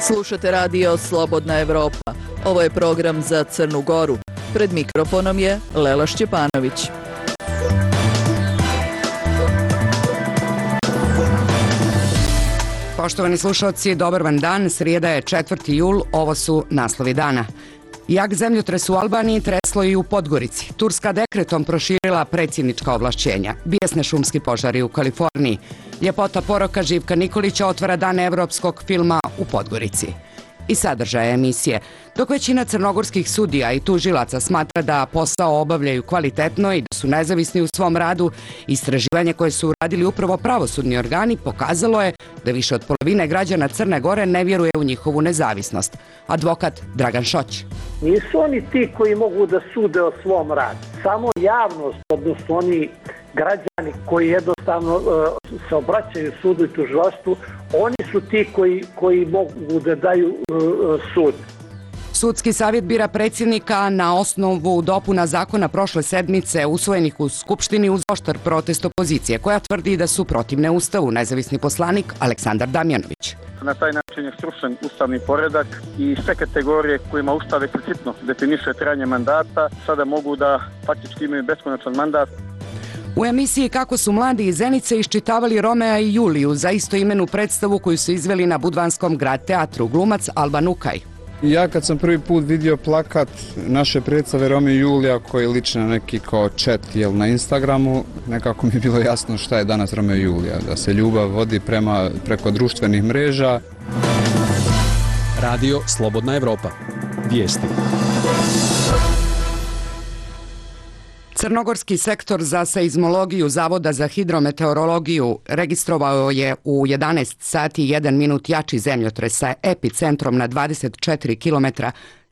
Slušate radio Slobodna Evropa. Ovo je program za Crnu Goru. Pred mikrofonom je Lela Šćepanović. Poštovani slušalci, dobar vam dan. Srijeda je 4. jul, ovo su naslovi dana. Jak zemljotres u Albaniji treslo i u Podgorici. Turska dekretom proširila predsjednička ovlašćenja. Bijesne šumski požari u Kaliforniji. Ljepota poroka Živka Nikolića otvara dan evropskog filma u Podgorici. I sadržaje emisije. Dok većina crnogorskih sudija i tužilaca smatra da posao obavljaju kvalitetno i da su nezavisni u svom radu, istraživanje koje su uradili upravo pravosudni organi pokazalo je da više od polovine građana Crne Gore ne vjeruje u njihovu nezavisnost. Advokat Dragan Šoć. Nisu oni ti koji mogu da sude o svom radu. Samo javnost, odnosno oni građani koji jednostavno se obraćaju sudu i tužilaštvu, oni su ti koji mogu da daju sud. Sudski savjet bira predsjednika na osnovu dopuna zakona prošle sedmice usvojenih u Skupštini uz oštar protest opozicije, koja tvrdi da su protivne Ustavu. Nezavisni poslanik Aleksandar Damjanović. Na taj način je srušen ustavni poredak i sve kategorije kojima Ustav eksplicitno definiše trajanje mandata sada mogu da faktički imaju beskonačan mandat. U emisiji Kako su mladi iz Zenice iščitavali Romea i Juliju za istoimenu predstavu koju su izveli na Budvanskom grad teatru, glumac Alban Ukaj. Ja kad sam prvi put vidio plakat naše predstave Romeo i Julija koji liči na neki kao chat na Instagramu, nekako mi je bilo jasno šta je danas Romeo i Julija, da se ljubav vodi preko društvenih mreža. Radio Slobodna Evropa. Vijesti. Crnogorski sektor za seizmologiju Zavoda za hidrometeorologiju registrovao je u 11 sati 1 minut jači zemljotres sa epicentrom na 24 km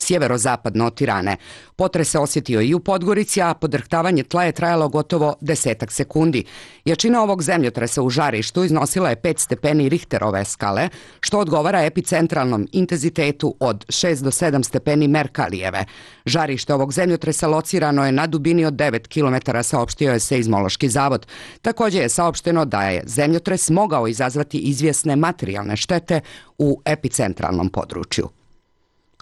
sjeverozapadno od Tirane. Potres se osjetio i u Podgorici, a podrhtavanje tla je trajalo gotovo 10 sekundi. Jačina ovog zemljotresa u žarištu iznosila je 5 stepeni Richterove skale, što odgovara epicentralnom intenzitetu od 6 do 7 stepeni Merkalijeve. Žarište ovog zemljotresa locirano je na dubini od 9 km, saopštio je Seizmološki zavod. Također je saopšteno da je zemljotres mogao izazvati izvjesne materijalne štete u epicentralnom području.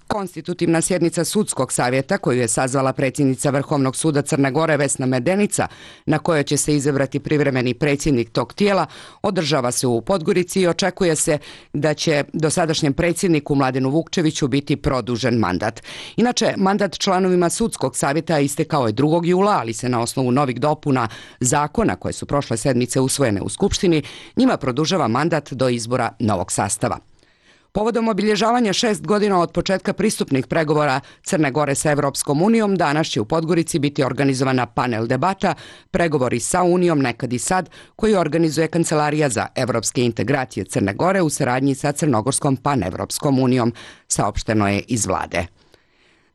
Konstitutivna sjednica Sudskog savjeta, koju je sazvala predsjednica Vrhovnog suda Crne Gore Vesna Medenica, na kojoj će se izabrati privremeni predsjednik tog tijela, održava se u Podgorici i očekuje se da će dosadašnjem predsjedniku Mladenu Vukčeviću biti produžen mandat. Inače, mandat članovima Sudskog savjeta istekao je 2. jula, ali se na osnovu novih dopuna zakona koje su prošle sedmice usvojene u Skupštini, njima produžava mandat do izbora novog sastava. Povodom obilježavanja 6 godina od početka pristupnih pregovora Crne Gore sa Evropskom unijom, danas će u Podgorici biti organizovana panel debata Pregovori sa Unijom nekad i sad, koju organizuje Kancelarija za evropske integracije Crne Gore u saradnji sa Crnogorskom panevropskom unijom, saopšteno je iz vlade.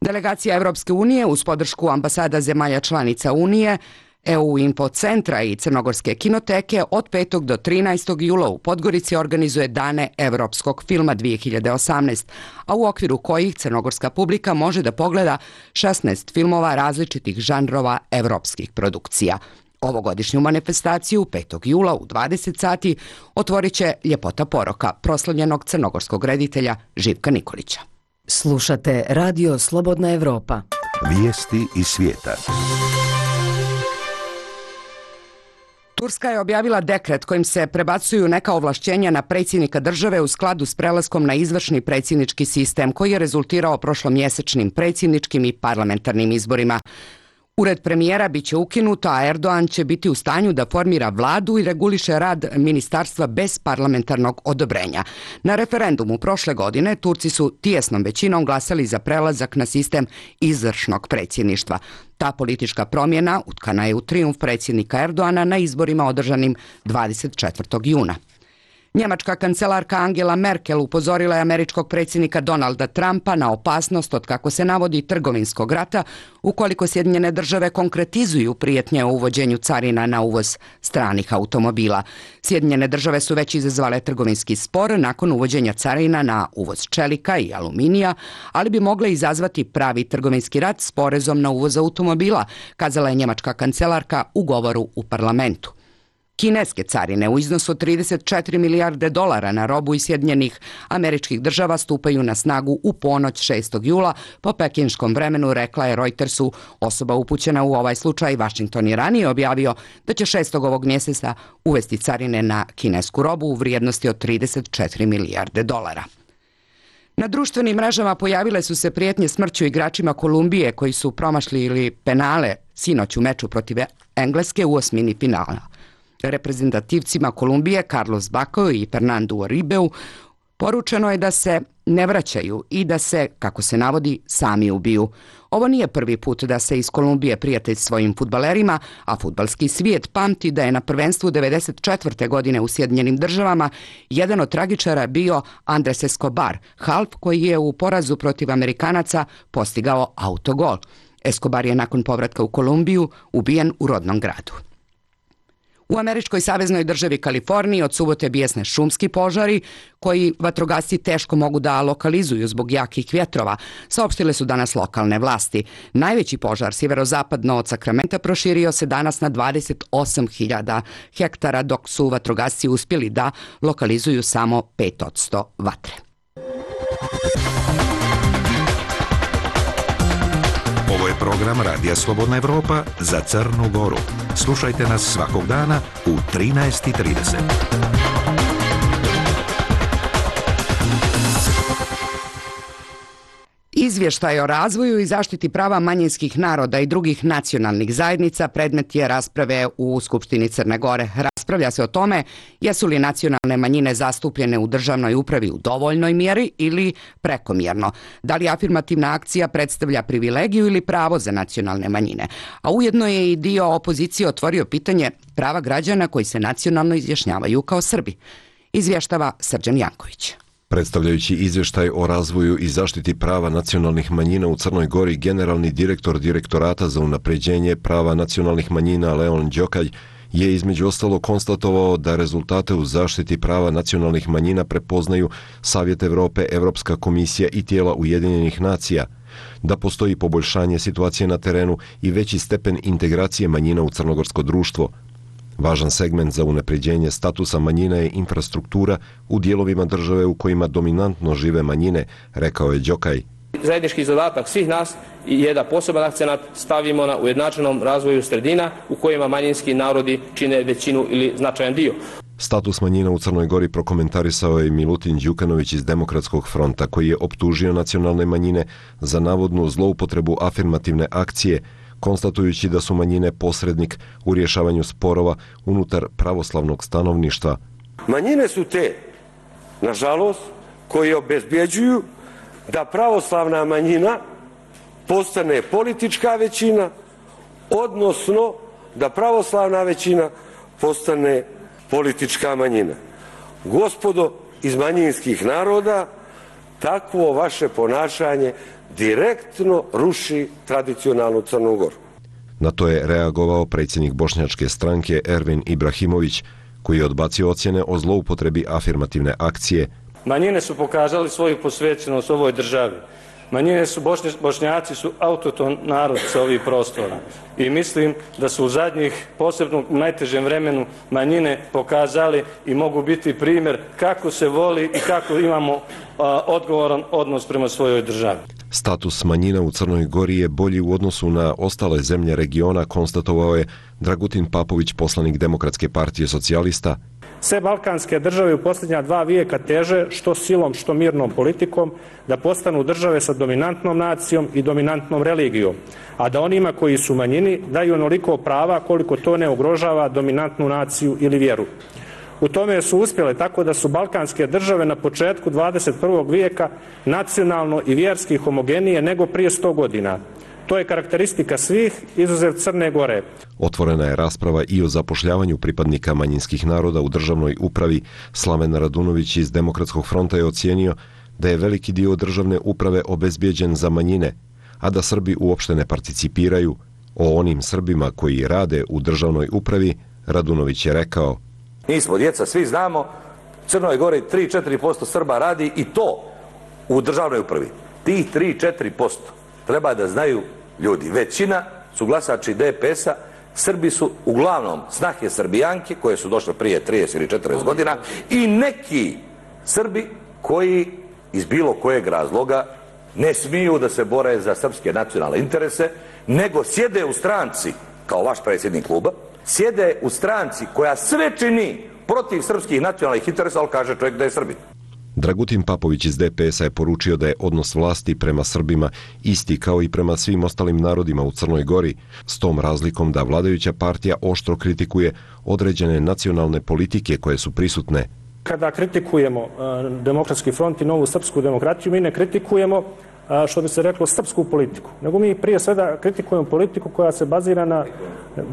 Delegacija Evropske unije uz podršku ambasada zemalja članica Unije, EU Info centra i Crnogorske kinoteke od 5. do 13. jula u Podgorici organizuje Dane evropskog filma 2018, a u okviru kojih crnogorska publika može da pogleda 16 filmova različitih žanrova evropskih produkcija. Ovogodišnju manifestaciju 5. jula u 20 sati otvorit će Ljepota poroka proslavljenog crnogorskog reditelja Živka Nikolića. Slušate Radio Slobodna Evropa. Vijesti iz svijeta. Turska je objavila dekret kojim se prebacuju neka ovlašćenja na predsjednika države u skladu s prelaskom na izvršni predsjednički sistem koji je rezultirao prošlomjesečnim predsjedničkim i parlamentarnim izborima. Ured premijera biće ukinut, a Erdogan će biti u stanju da formira vladu i reguliše rad ministarstva bez parlamentarnog odobrenja. Na referendumu prošle godine Turci su tijesnom većinom glasali za prelazak na sistem izvršnog predsjedništva. Ta politička promjena utkana je u trijumf predsjednika Erdogana na izborima održanim 24. juna. Njemačka kancelarka Angela Merkel upozorila je američkog predsjednika Donalda Trumpa na opasnost od, kako se navodi, trgovinskog rata ukoliko Sjedinjene države konkretizuju prijetnje o uvođenju carina na uvoz stranih automobila. Sjedinjene države su već izazvale trgovinski spor nakon uvođenja carina na uvoz čelika i aluminija, ali bi mogle izazvati pravi trgovinski rat s porezom na uvoz automobila, kazala je njemačka kancelarka u govoru u parlamentu. Kineske carine u iznosu od 34 milijarde dolara na robu iz Sjedinjenih Američkih Država stupaju na snagu u ponoć 6. jula po pekinškom vremenu, rekla je Reutersu osoba upućena u ovaj slučaj. Washington je ranije objavio da će 6. ovog mjeseca uvesti carine na kinesku robu u vrijednosti od 34 milijarde dolara. Na društvenim mrežama pojavile su se prijetnje smrću igračima Kolumbije koji su promašili penale sinoć u meču protiv Engleske u osmini finala. Reprezentativcima Kolumbije Carlos Bacco i Fernandu Uribeu poručeno je da se ne vraćaju i da se, kako se navodi, sami ubiju. Ovo nije prvi put da se iz Kolumbije prijatelj svojim fudbalerima, a fudbalski svijet pamti da je na prvenstvu 1994. godine u Sjedinjenim Državama jedan od tragičara bio Andres Escobar, half koji je u porazu protiv Amerikanaca postigao autogol. Escobar je nakon povratka u Kolumbiju ubijen u rodnom gradu. U američkoj saveznoj državi Kaliforniji od subote bijesne šumski požari koji vatrogasci teško mogu da lokalizuju zbog jakih vjetrova, saopštile su danas lokalne vlasti. Najveći požar sjeverozapadno od Sakramenta proširio se danas na 28.000 hektara, dok su vatrogasci uspjeli da lokalizuju samo 5% vatre. Ovo je program Radija Slobodna Evropa za Crnu Goru. Slušajte nas svakog dana u 13:30. Izvještaj o razvoju i zaštiti prava manjinskih naroda i drugih nacionalnih zajednica predmet je rasprave u Skupštini Crne Gore. Raspravlja se o tome jesu li nacionalne manjine zastupljene u državnoj upravi u dovoljnoj mjeri ili prekomjerno. Da li afirmativna akcija predstavlja privilegiju ili pravo za nacionalne manjine. A ujedno je i dio opozicije otvorio pitanje prava građana koji se nacionalno izjašnjavaju kao Srbi. Izvještava Srđan Janković. Predstavljajući izvještaj o razvoju i zaštiti prava nacionalnih manjina u Crnoj Gori, generalni direktor Direktorata za unapređenje prava nacionalnih manjina Leon Đokalj je između ostalo konstatovao da rezultate u zaštiti prava nacionalnih manjina prepoznaju Savjet Evrope, Evropska komisija i tijela Ujedinjenih nacija, da postoji poboljšanje situacije na terenu i veći stepen integracije manjina u crnogorsko društvo. Važan segment za unapređenje statusa manjina je infrastruktura u dijelovima države u kojima dominantno žive manjine, rekao je Đokalj. Zajednički zadatak svih nas je da poseban akcenat stavimo na ujednačenom razvoju sredina u kojima manjinski narodi čine većinu ili značajan dio. Status manjina u Crnoj Gori prokomentarisao je Milutin Đukanović iz Demokratskog fronta, koji je optužio nacionalne manjine za navodnu zloupotrebu afirmativne akcije, konstatujući da su manjine posrednik u rješavanju sporova unutar pravoslavnog stanovništva. Manjine su te, nažalost, koji obezbjeđuju da pravoslavna manjina postane politička većina, odnosno da pravoslavna većina postane politička manjina. Gospodo iz manjinskih naroda, takvo vaše ponašanje direktno ruši tradicionalnu Crnu Goru. Na to je reagovao predsjednik bošnjačke stranke Ervin Ibrahimović, koji je odbacio ocjene o zloupotrebi afirmativne akcije. Manjine su pokazali svoju posvećenost ovoj državi. Bošnjaci su autohton narod sa ovih prostora i mislim da su u zadnjih, posebno u najtežem vremenu, manjine pokazali i mogu biti primjer kako se voli i kako imamo odgovoran odnos prema svojoj državi. Status manjina u Crnoj Gori je bolji u odnosu na ostale zemlje regiona, konstatovao je Dragutin Papović, poslanik Demokratske partije socijalista. Sve balkanske države u posljednja 2 vijeka teže, što silom, što mirnom politikom, da postanu države sa dominantnom nacijom i dominantnom religijom, a da onima koji su manjini daju onoliko prava koliko to ne ugrožava dominantnu naciju ili vjeru. U tome su uspjele tako da su balkanske države na početku 21. vijeka nacionalno i vjerski homogenije nego prije 100 godina. To je karakteristika svih, izuzev Crne Gore. Otvorena je rasprava i o zapošljavanju pripadnika manjinskih naroda u državnoj upravi. Slaven Radunović iz Demokratskog fronta je ocijenio da je veliki dio državne uprave obezbijeđen za manjine, a da Srbi uopšte ne participiraju. O onim Srbima koji rade u državnoj upravi, Radunović je rekao: Mi smo djeca, svi znamo, u Crnoj Gori 3-4% Srba radi i to u državnoj upravi. Tih 3-4% treba da znaju ljudi. Većina su glasači DPS-a, Srbi su uglavnom snahe Srbijanke koje su došle prije 30 ili 40 godina i neki Srbi koji iz bilo kojeg razloga ne smiju da se bore za srpske nacionalne interese, nego sjede u stranci, kao vaš predsjednik kluba, sjede u stranci koja sve čini protiv srpskih nacionalnih interesa, ali kaže čovjek da je Srbin. Dragutin Papović iz DPS-a je poručio da je odnos vlasti prema Srbima isti kao i prema svim ostalim narodima u Crnoj Gori, s tom razlikom da vladajuća partija oštro kritikuje određene nacionalne politike koje su prisutne. Kada kritikujemo Demokratski front i Novu srpsku demokratiju, mi ne kritikujemo, što bi se reklo, srpsku politiku, nego mi prije svega kritikujemo politiku koja se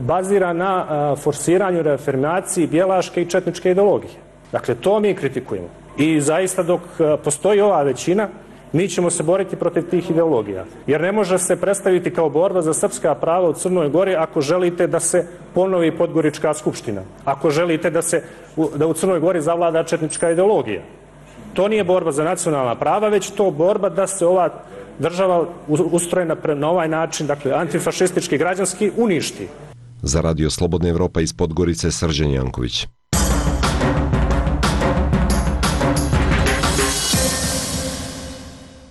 bazira na forsiranju, reafirmaciji bjelaške i četničke ideologije. Dakle, to mi kritikujemo. I zaista dok postoji ova većina, mi ćemo se boriti protiv tih ideologija. Jer ne može se predstaviti kao borba za srpska prava u Crnoj Gori ako želite da se ponovi Podgorička skupština. Ako želite da u Crnoj Gori zavlada četnička ideologija. To nije borba za nacionalna prava, već to borba da se ova država ustrojena na ovaj način, dakle antifašistički, građanski, uništi. Za Radio Slobodna Evropa iz Podgorice, Srđan Janković.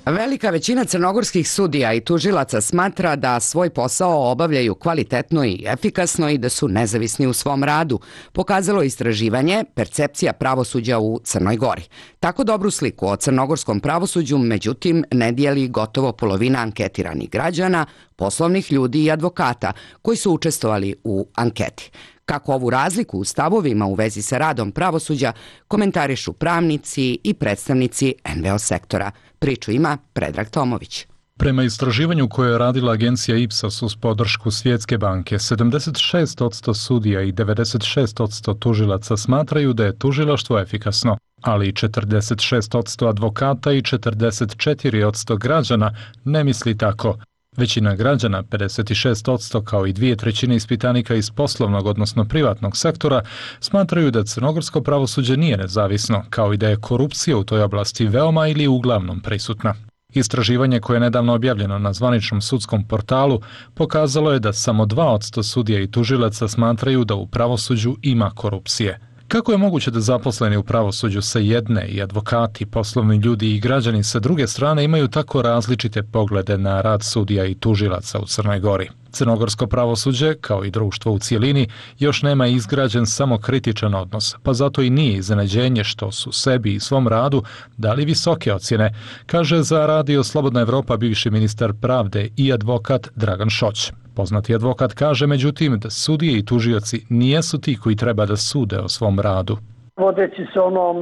Velika većina crnogorskih sudija i tužilaca smatra da svoj posao obavljaju kvalitetno i efikasno i da su nezavisni u svom radu, pokazalo istraživanje Percepcija pravosuđa u Crnoj Gori. Tako dobru sliku o crnogorskom pravosuđu, međutim, ne dijeli gotovo polovina anketiranih građana, poslovnih ljudi i advokata koji su učestvovali u anketi. Kako ovu razliku u stavovima u vezi sa radom pravosuđa komentarišu pravnici i predstavnici NVO sektora. Priču ima Predrag Tomović. Prema istraživanju koje je radila agencija Ipsos uz podršku Svjetske banke, 76% sudija i 96% tužilaca smatraju da je tužilaštvo efikasno, ali 46% advokata i 44% građana ne misli tako. Većina građana, 56% kao i 2/3 ispitanika iz poslovnog, odnosno privatnog sektora, smatraju da crnogorsko pravosuđe nije nezavisno, kao i da je korupcija u toj oblasti veoma ili uglavnom prisutna. Istraživanje koje je nedavno objavljeno na zvaničnom sudskom portalu pokazalo je da samo 2% sudija i tužilaca smatraju da u pravosuđu ima korupcije. Kako je moguće da zaposleni u pravosuđu sa jedne i advokati, poslovni ljudi i građani sa druge strane imaju tako različite poglede na rad sudija i tužilaca u Crnoj Gori? Crnogorsko pravosuđe, kao i društvo u cijelini, još nema izgrađen samo kritičan odnos, pa zato i nije iznenađenje što su sebi i svom radu dali visoke ocjene, kaže za Radio Slobodna Evropa bivši ministar pravde i advokat Dragan Šoć. Poznati advokat kaže, međutim, da sudije i tužioci nijesu ti koji treba da sude o svom radu. Vodeći se onom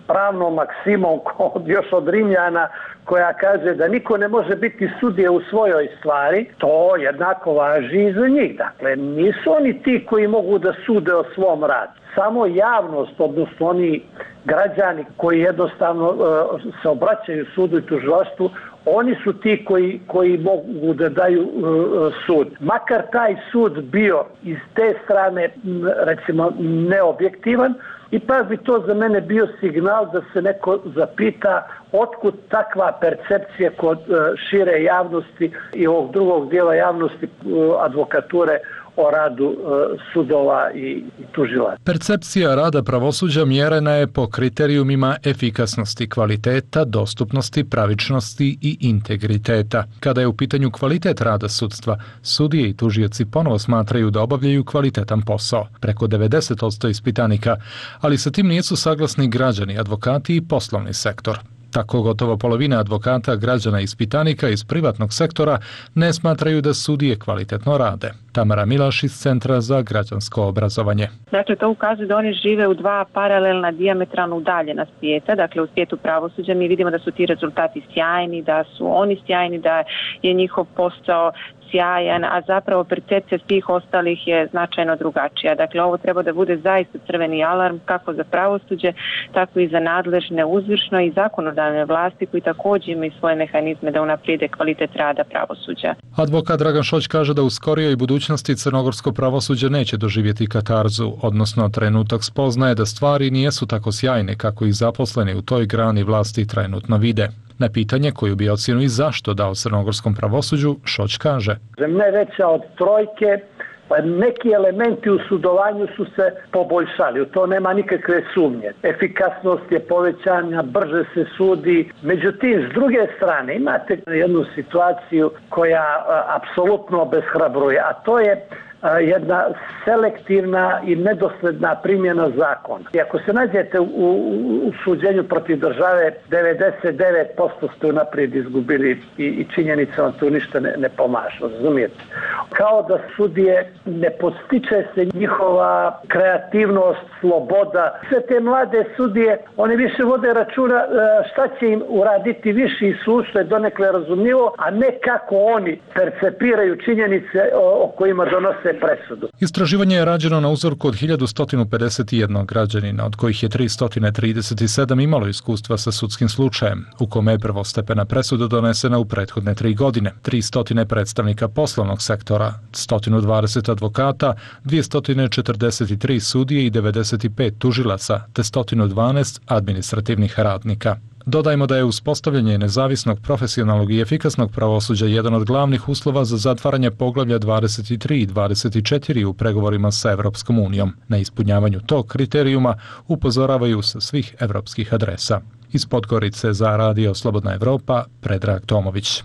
pravnom maksimom još od Rimljana koja kaže da niko ne može biti sudija u svojoj stvari, to jednako važi i za njih. Dakle, nisu oni ti koji mogu da sude o svom radu. Samo javnost, odnosno oni građani koji jednostavno se obraćaju sudu i tužilaštvu, oni su ti koji mogu da daju sud. Makar taj sud bio iz te strane, recimo, neobjektivan, ipak bi to za mene bio signal da se neko zapita otkud takva percepcija kod šire javnosti i ovog drugog dijela javnosti, advokature, o radu sudova i tužilaca. Percepcija rada pravosuđa mjerena je po kriterijumima efikasnosti, kvaliteta, dostupnosti, pravičnosti i integriteta. Kada je u pitanju kvalitet rada sudstva, sudije i tužioci ponovo smatraju da obavljaju kvalitetan posao, preko 90% ispitanika, ali sa tim nisu saglasni građani, advokati i poslovni sektor. Tako gotovo polovina advokata, građana i ispitanika iz privatnog sektora ne smatraju da sudije kvalitetno rade. Tamara Milaš iz Centra za građansko obrazovanje. Dakle, to ukazuje da oni žive u dva paralelna, dijametralno udaljena svijeta. Dakle, u svijetu pravosuđa mi vidimo da su ti rezultati sjajni, da su oni sjajni, da je njihov posao sjajan, a zapravo percepcija svih ostalih je značajno drugačija. Dakle, ovo treba da bude zaista crveni alarm kako za pravosuđe, tako i za nadležne uzvršno i zakonodavne vlasti koji također imaju svoje mehanizme da unaprijede kvalitet rada pravosuđa. Advokat Dragan Šoć kaže da u skorijoj budućnosti crnogorsko pravosuđe neće doživjeti katarzu, odnosno trenutak spoznaje da stvari nijesu tako sjajne kako ih zaposleni u toj grani vlasti trenutno vide. Na pitanje koju bi ocjenu i zašto dao crnogorskom pravosuđu, Šoć kaže: Ne veća od trojke, neki elementi u sudovanju su se poboljšali, u to nema nikakve sumnje. Efikasnost je povećana, brže se sudi. Međutim, s druge strane, imate jednu situaciju koja apsolutno obeshrabruje, a to je jedna selektivna i nedosledna primjena zakona. I ako se nađete u suđenju protiv države, 99% ste unaprijed izgubili i činjenicama tu ništa ne pomažu, razumijete? Kao da sudije ne postiče se njihova kreativnost, sloboda. Sve te mlade sudije, oni više vode računa šta će im uraditi viši sud, što je donekle razumljivo, a ne kako oni percepiraju činjenice o kojima donose presudu. Istraživanje je rađeno na uzorku od 1151 građanina, od kojih je 337 imalo iskustva sa sudskim slučajem, u kome je prvostepena presuda donesena u prethodne 3 godine. 300 predstavnika poslovnog sektora, 120 advokata, 243 sudije i 95 tužilaca, te 112 administrativnih radnika. Dodajmo da je uspostavljanje nezavisnog, profesionalnog i efikasnog pravosuđa jedan od glavnih uslova za zatvaranje poglavlja 23 i 24 u pregovorima sa Evropskom unijom. Na ispunjavanju tog kriterijuma upozoravaju sa svih evropskih adresa. Iz Podgorice za Radio Slobodna Evropa, Predrag Tomović.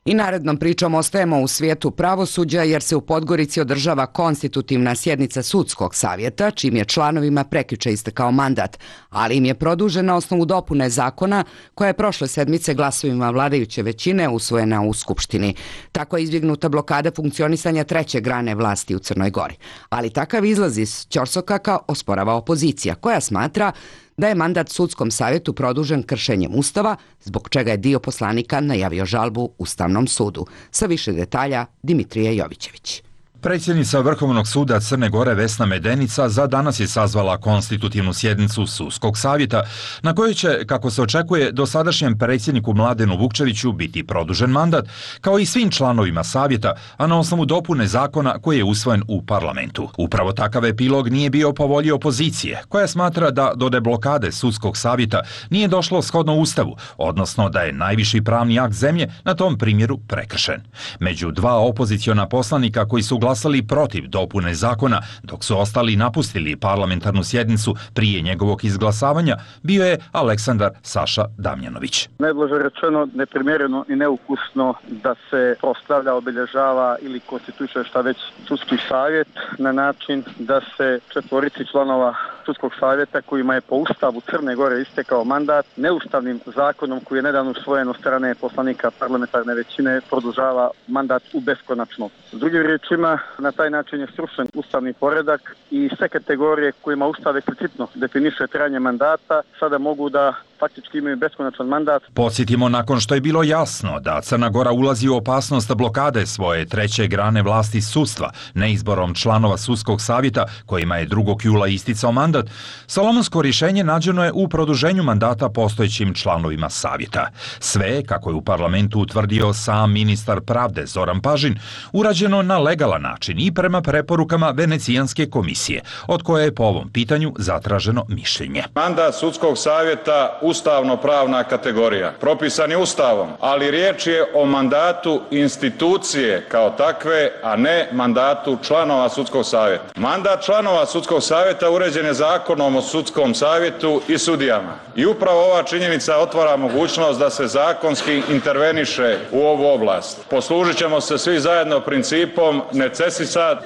I narednom pričom ostajemo u svijetu pravosuđa jer se u Podgorici održava konstitutivna sjednica sudskog savjeta, čim je članovima prekjuče istekao mandat, ali im je produžen na osnovu dopune zakona koja je prošle sedmice glasovima vladajuće većine usvojena u Skupštini. Tako je izbjegnuta blokada funkcionisanja treće grane vlasti u Crnoj Gori. Ali takav izlaz iz ćorsokaka osporava opozicija, koja smatra da je mandat sudskom savjetu produžen kršenjem Ustava, zbog čega je dio poslanika najavio žalbu Ustavnom sudu. Sa više detalja Dimitrije Jovićević. Predsjednica Vrhovnog suda Crne Gore Vesna Medenica za danas je sazvala konstitutivnu sjednicu sudskog savjeta na kojoj će, kako se očekuje, dosadašnjem predsjedniku Mladenu Vukčeviću biti produžen mandat, kao i svim članovima savjeta, a na osnovu dopune zakona koji je usvojen u parlamentu. Upravo takav epilog nije bio po volji opozicije, koja smatra da do deblokade sudskog savjeta nije došlo shodno Ustavu, odnosno da je najviši pravni akt zemlje na tom primjeru prekršen. Među dva opoziciona poslanika koji su glasali protiv dopune zakona, dok su ostali napustili parlamentarnu sjednicu prije njegovog izglasavanja, bio je Aleksandar Saša Damjanović. Najblaže rečeno, neprimjereno i neukusno da se proslavlja, obilježava ili konstituiše šta već sudski savjet na način da se 4 članova sudskog savjeta kojima je po Ustavu Crne Gore istekao mandat neustavnim zakonom koji je nedavno usvojen od strane poslanika parlamentarne većine produžava mandat u beskonačno. S drugim riječima, na taj način je srušen ustavni poredak i sve kategorije kojima Ustav eksplicitno definiše trajanje mandata sada mogu da faktički imaju beskonačan mandat. Podsjetimo, nakon što je bilo jasno da Crna Gora ulazi u opasnost blokade svoje treće grane vlasti sudstva, neizborom članova sudskog savjeta kojima je 2. jula isticao mandat, solomonsko rješenje nađeno je u produženju mandata postojećim članovima savjeta. Sve, kako je u parlamentu utvrdio sam ministar pravde Zoran Pažin, urađeno na legalan način i prema preporukama Venecijanske komisije, od koje je po ovom pitanju zatraženo mišljenje. Mandat sudskog savjeta ustavno-pravna kategorija. Propisan je Ustavom, ali riječ je o mandatu institucije kao takve, a ne mandatu članova sudskog savjeta. Mandat članova sudskog savjeta uređen je Zakonom o sudskom savjetu i sudijama. I upravo ova činjenica otvara mogućnost da se zakonski interveniše u ovu oblast. Poslužit ćemo se svi zajedno principom necessitat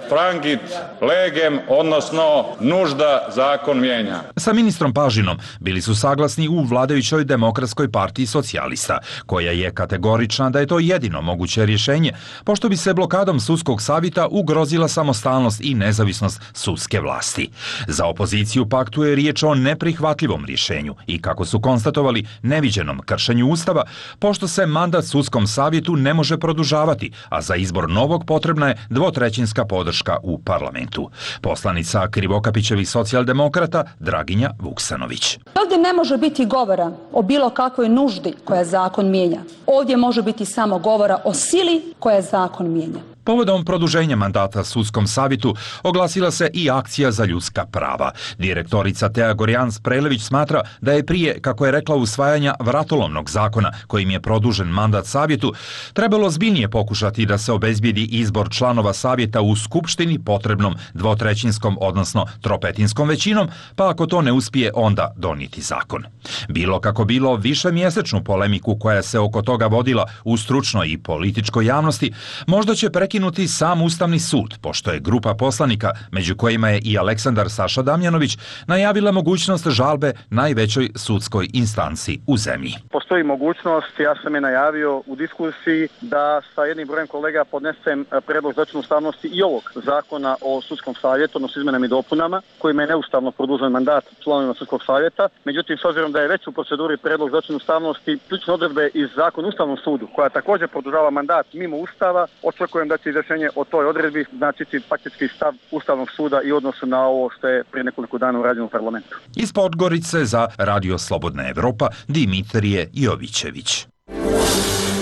frangit legem, odnosno nužda zakon mijenja. Sa ministrom Pažinom bili su saglasni jednoglasni u vladajućoj Demokratskoj partiji socijalista, koja je kategorična da je to jedino moguće rješenje, pošto bi se blokadom sudskog savjeta ugrozila samostalnost i nezavisnost sudske vlasti. Za opoziciju pak tu je riječ o neprihvatljivom rješenju i, kako su konstatovali, neviđenom kršenju Ustava, pošto se mandat sudskom savjetu ne može produžavati, a za izbor novog potrebna je dvotrećinska podrška u parlamentu. Poslanica Krivokapićevih socijaldemokrata Draginja Vuksanović. Ovdje ne može biti govora o bilo kakvoj nuždi koja zakon mijenja. Ovdje može biti samo govora o sili koja zakon mijenja. Povodom produženja mandata sudskom savjetu oglasila se i akcija za ljudska prava. Direktorica Teja Gorjans-Prelević smatra da je prije, kako je rekla, usvajanja vratolomnog zakona kojim je produžen mandat savjetu, trebalo zbiljnije pokušati da se obezbijedi izbor članova savjeta u skupštini potrebnom dvotrećinskom, odnosno tropetinskom većinom, pa ako to ne uspije, onda donijeti zakon. Bilo kako bilo, višemjesečnu polemiku koja se oko toga vodila u stručnoj i političkoj javnosti možda će prekinuti sam Ustavni sud, pošto je grupa poslanika, među kojima je i Aleksandar Saša Damjanović, najavila mogućnost žalbe najvećoj sudskoj instanci u zemlji. Postoji mogućnost, ja sam je najavio u diskusiji, da sa jednim brojem kolega podnesem predlog za ocjenu ustavnosti i ovog zakona o sudskom savjetu, odnosno izmenama i dopunama, kojima je neustavno produžen mandat članovima sudskog savjeta. Međutim, s obzirom da je već u proceduri predlog za ocjenu ustavnosti ključne odredbe iz zakona o Ustavnom sudu, koja također produžava mandat mimo Ustava, očekujem da će izrešenje o toj odredbi značiti faktički stav Ustavnog suda i odnosu na ovo što je prije nekoliko dana urađeno u parlamentu. Iz Podgorice za Radio Slobodna Evropa, Dimitrije Jovićević.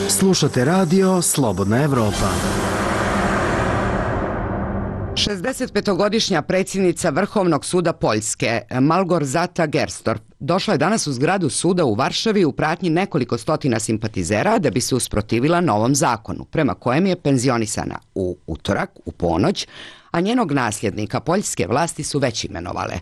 Slušate Radio Slobodna Evropa. 65-godišnja predsjednica Vrhovnog suda Poljske, Malgorzata Gerstorf, došla je danas u zgradu suda u Varšavi u pratnji nekoliko stotina simpatizera da bi se usprotivila novom zakonu, prema kojem je penzionisana u utorak, u ponoć, a njenog nasljednika poljske vlasti su već imenovale.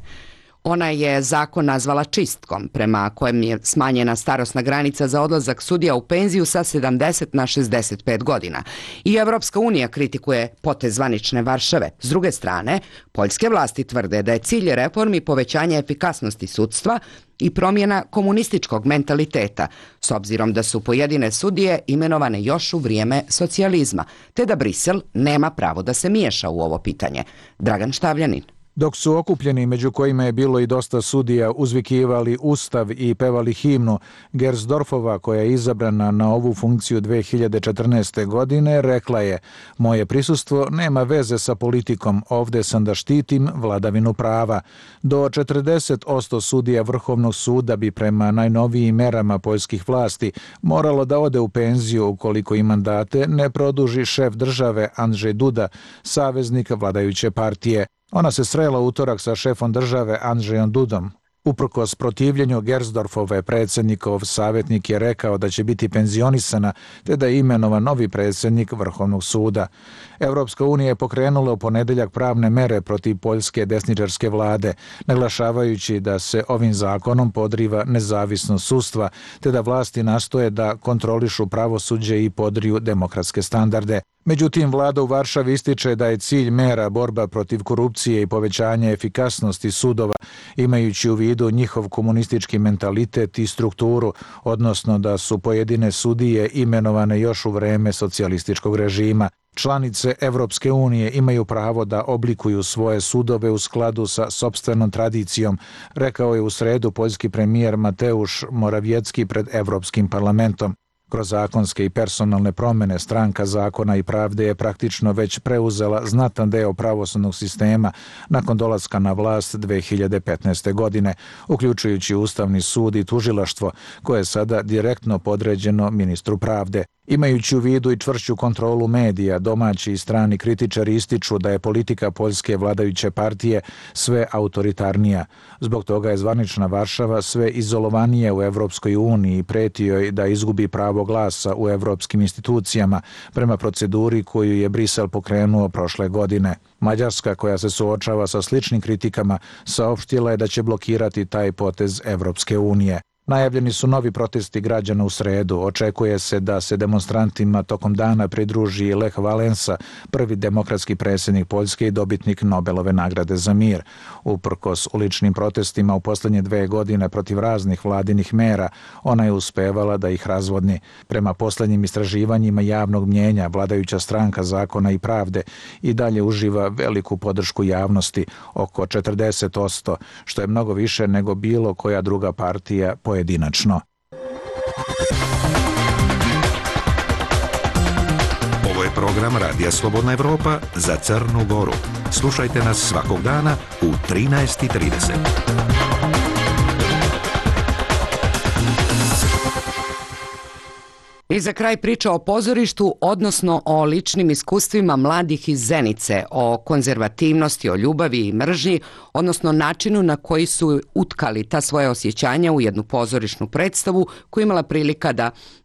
Ona je zakon nazvala čistkom, prema kojem je smanjena starosna granica za odlazak sudija u penziju sa 70 na 65 godina. I Evropska unija kritikuje potez zvanične Varšave. S druge strane, poljske vlasti tvrde da je cilj reformi povećanje efikasnosti sudstva i promjena komunističkog mentaliteta, s obzirom da su pojedine sudije imenovane još u vrijeme socijalizma, te da Brisel nema pravo da se miješa u ovo pitanje. Dragan Štavljanin. Dok su okupljeni, među kojima je bilo i dosta sudija, uzvikivali Ustav i pevali himnu, Gersdorfova, koja je izabrana na ovu funkciju 2014. godine, rekla je: moje prisustvo nema veze sa politikom, ovdje sam da štitim vladavinu prava. Do 40% sudija Vrhovnog suda bi prema najnovijim merama poljskih vlasti moralo da ode u penziju ukoliko im mandate ne produži šef države Andrzej Duda, saveznik vladajuće partije. Ona se srela utorak sa šefom države Andrzejom Dudom. Uprkos protivljenju Gersdorfove, predsjednikov savjetnik je rekao da će biti penzionisana te da je imenovan novi predsjednik Vrhovnog suda. Evropska unija je pokrenula u ponedjeljak pravne mere protiv poljske desničarske vlade, naglašavajući da se ovim zakonom podriva nezavisnost sudstva te da vlasti nastoje da kontrolišu pravosuđe i podriju demokratske standarde. Međutim, vlada u Varšavi ističe da je cilj mera borba protiv korupcije i povećanje efikasnosti sudova, imajući u vidu njihov komunistički mentalitet i strukturu, odnosno da su pojedine sudije imenovane još u vreme socijalističkog režima. Članice Evropske unije imaju pravo da oblikuju svoje sudove u skladu sa sopstvenom tradicijom, rekao je u sredu poljski premijer Mateusz Morawiecki pred Evropskim parlamentom. Kroz zakonske i personalne promjene Stranka zakona i pravde je praktično već preuzela znatan deo pravosudnog sistema nakon dolaska na vlast 2015. godine, uključujući Ustavni sud i tužilaštvo, koje je sada direktno podređeno ministru pravde. Imajući u vidu i čvršću kontrolu medija, domaći i strani kritičari ističu da je politika poljske vladajuće partije sve autoritarnija. Zbog toga je zvanična Varšava sve izolovanije u Evropskoj uniji i preti joj da izgubi pravo glasa u evropskim institucijama prema proceduri koju je Brisel pokrenuo prošle godine. Mađarska, koja se suočava sa sličnim kritikama, saopštila je da će blokirati taj potez Evropske unije. Najavljeni su novi protesti građana u sredu. Očekuje se da se demonstrantima tokom dana pridruži Lech Valensa, prvi demokratski predsjednik Poljske i dobitnik Nobelove nagrade za mir. Uprkos uličnim protestima u posljednje 2 godine protiv raznih vladinih mera, ona je uspevala da ih razvodni. Prema posljednjim istraživanjima javnog mnjenja, vladajuća stranka Zakona i pravde i dalje uživa veliku podršku javnosti, oko 40%, što je mnogo više nego bilo koja druga partija pojedinačno. Ovo je program Radija Slobodna Evropa za Crnu Goru. Slušajte nas svakog dana u 13:30. I za kraj priča o pozorištu, odnosno o ličnim iskustvima mladih iz Zenice, o konzervativnosti, o ljubavi i mržnji, odnosno načinu na koji su utkali ta svoja osjećanja u jednu pozorišnu predstavu koju imala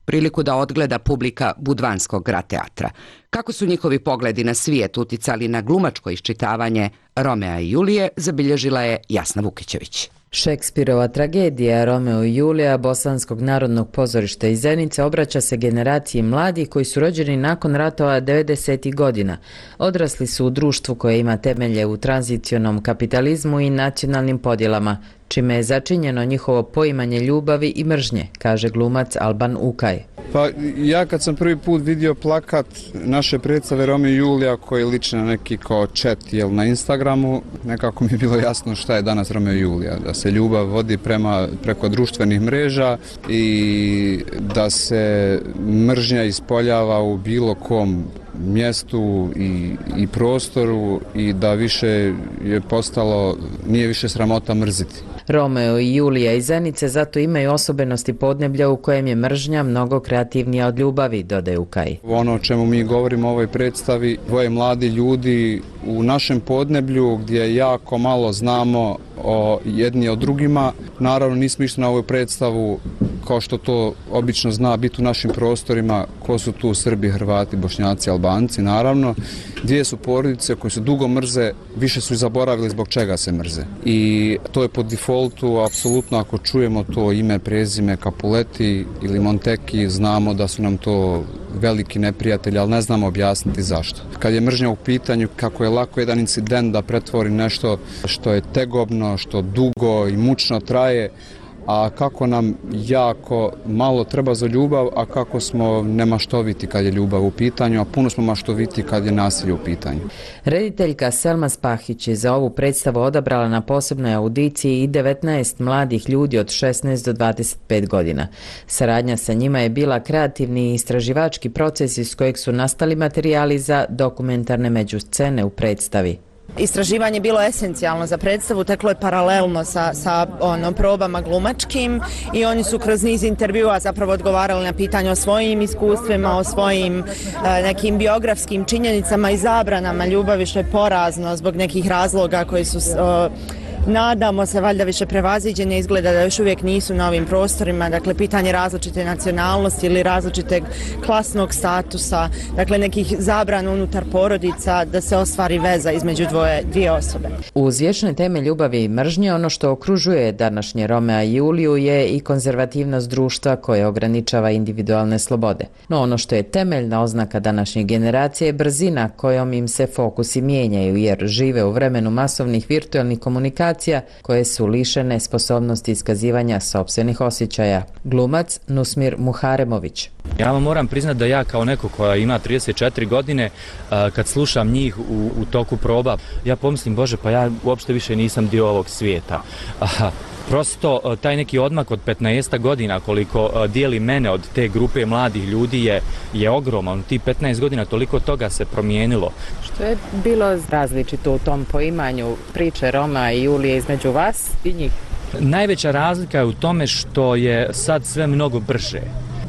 priliku da odgleda publika Budvanskog grad teatra. Kako su njihovi pogledi na svijet uticali na glumačko iščitavanje Romea i Julije, zabilježila je Jasna Vukićević. Šekspirova tragedija Romeo i Julija Bosanskog narodnog pozorišta iz Zenice obraća se generaciji mladih koji su rođeni nakon ratova 90. godina. Odrasli su u društvu koje ima temelje u tranzicionom kapitalizmu i nacionalnim podjelama, čime je začinjeno njihovo poimanje ljubavi i mržnje, kaže glumac Alban Ukaj. Pa ja kad sam prvi put vidio plakat naše predstave Romeo i Julija koji liči na neki kao chat na Instagramu, nekako mi je bilo jasno šta je danas Romeo i Julija, da se ljubav vodi preko društvenih mreža i da se mržnja ispoljava u bilo kom mjestu i prostoru i da više je postalo, nije više sramota mrziti. Romeo i Julija iz Zenice zato imaju osobenosti podneblja u kojem je mržnja mnogo kreativnija od ljubavi, dodaje Ukaj. Ono o čemu mi govorimo u ovoj predstavi, dvoje mladi ljudi u našem podneblju gdje jako malo znamo jedni o drugima. Naravno nismo išli na ovu predstavu kao što to obično zna biti u našim prostorima, ko su tu Srbi, Hrvati, Bošnjaci, Albanci, naravno. Dvije su porodice koje se dugo mrze, više su i zaboravili zbog čega se mrze. I to je po defaultu, apsolutno ako čujemo to ime, prezime, Capuleti ili Monteki, znamo da su nam to veliki neprijatelji, ali ne znamo objasniti zašto. Kad je mržnja u pitanju, kako je lako jedan incident da pretvori nešto što je tegobno, što dugo i mučno traje, a kako nam jako malo treba za ljubav, a kako smo nemaštoviti kad je ljubav u pitanju, a puno smo maštoviti kad je nasilje u pitanju. Rediteljka Selma Spahić je za ovu predstavu odabrala na posebnoj audiciji i 19 mladih ljudi od 16 do 25 godina. Saradnja sa njima je bila kreativni i istraživački proces iz kojeg su nastali materijali za dokumentarne međuscene u predstavi. Istraživanje je bilo esencijalno za predstavu, teklo je paralelno sa probama glumačkim i oni su kroz niz intervjua zapravo odgovarali na pitanje o svojim iskustvima, o svojim nekim biografskim činjenicama i zabranama ljubavi, što je porazno zbog nekih razloga koji su nadamo se valjda više prevaziđenje, izgleda da još uvijek nisu na ovim prostorima, dakle pitanje različite nacionalnosti ili različiteg klasnog statusa, dakle nekih zabrana unutar porodica da se ostvari veza između dvije osobe. Uz vječne teme ljubavi i mržnje, ono što okružuje današnje Romea i Juliju je i konzervativnost društva koje ograničava individualne slobode. No ono što je temeljna oznaka današnje generacije je brzina kojom im se fokusi mijenjaju jer žive u vremenu masovnih virtualnih komunikacija koje su lišene sposobnosti iskazivanja sopstvenih osjećaja. Glumac Nusmir Muharemović. Ja vam moram priznati da ja kao neko koja ima 34 godine, kad slušam njih u toku proba, ja pomislim, Bože, pa ja uopšte više nisam dio ovog svijeta. Prosto taj neki odmak od 15 godina koliko dijeli mene od te grupe mladih ljudi je ogroman. Ti 15 godina toliko toga se promijenilo. Što je bilo različito u tom poimanju priče Romea i Julije između vas i njih? Najveća razlika je u tome što je sad sve mnogo brže.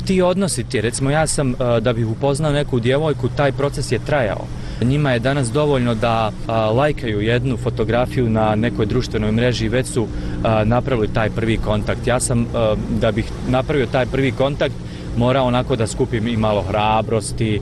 Ti odnosi ti, recimo ja sam da bih upoznao neku djevojku, taj proces je trajao. Njima je danas dovoljno da lajkaju jednu fotografiju na nekoj društvenoj mreži i već su napravili taj prvi kontakt. Ja sam, da bih napravio taj prvi kontakt, mora onako da skupim i malo hrabrosti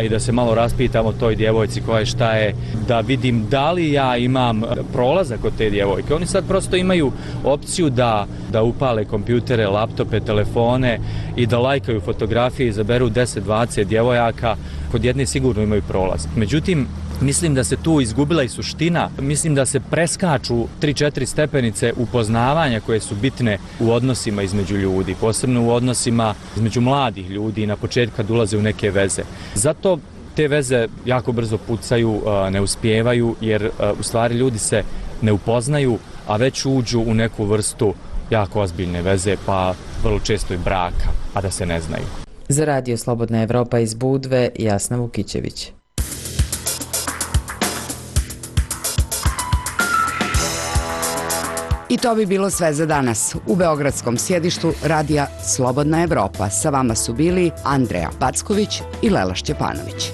i da se malo raspitam o toj djevojci koja je šta je, da vidim da li ja imam prolazak od te djevojke. Oni sad prosto imaju opciju da upale kompjutere, laptope, telefone i da lajkaju fotografije, izaberu 10-20 djevojaka, kod jedne sigurno imaju prolaz. Međutim, mislim da se tu izgubila i suština, mislim da se preskaču 3-4 stepenice upoznavanja koje su bitne u odnosima između ljudi, posebno u odnosima između mladih ljudi na početku kad ulaze u neke veze. Zato te veze jako brzo pucaju, ne uspijevaju jer u stvari ljudi se ne upoznaju, a već uđu u neku vrstu jako ozbiljne veze, pa vrlo često i braka, a da se ne znaju. Za Radio Slobodna Evropa iz Budve, Jasna Vukićević. I to bi bilo sve za danas. U beogradskom sjedištu Radija Slobodna Evropa sa vama su bili Andreja Packović i Lela Šćepanović.